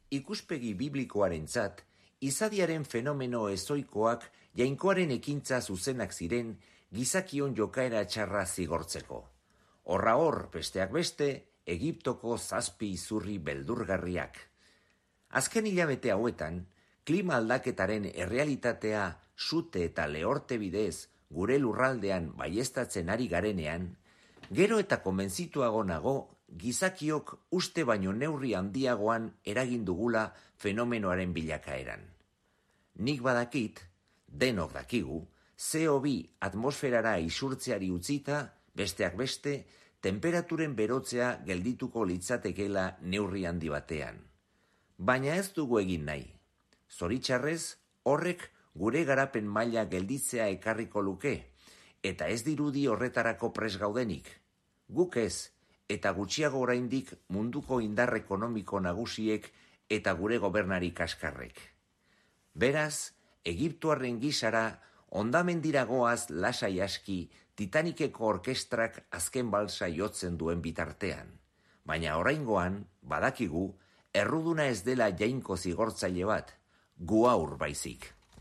ikuspegi biblikoarentzat, izadiaren fenomeno ezoikoak jainkoaren ekintza zuzenak ziren gizakion jokaera txarra zigortzeko. Horra hor, besteak beste, Egiptoko 7 izurri beldurgarriak. Azken hilabete hauetan, klima aldaketaren errealitatea sute eta lehorte bidez gure lurraldean baieztatzen ari garenean, gero eta konbentzituago nago gizakiok uste baino neurri handiagoan eragin dugula fenomenoaren bilakaeran. Nik badakit, denok dakigu, CO2 atmosferara isurtzeari utzita, besteak beste, temperaturen berotzea geldituko litzatekeela neurri handi batean. Baina ez dugu egin nahi. Zoritxarrez, horrek gure garapen maila gelditzea ekarriko luke, eta ez dirudi horretarako pres gaudenik. Guk ez, eta gutxiago oraindik munduko indar ekonomiko nagusiek eta gure gobernari kaskarrek. Beraz, Egiptoarren gisara hondamendiragoaz lasai aski Titanikeko orkestrak azken balsa jotzen duen bitartean. Baina oraingoan, badakigu, erruduna ez dela jainko zigortzaile bat, gu haur baizik.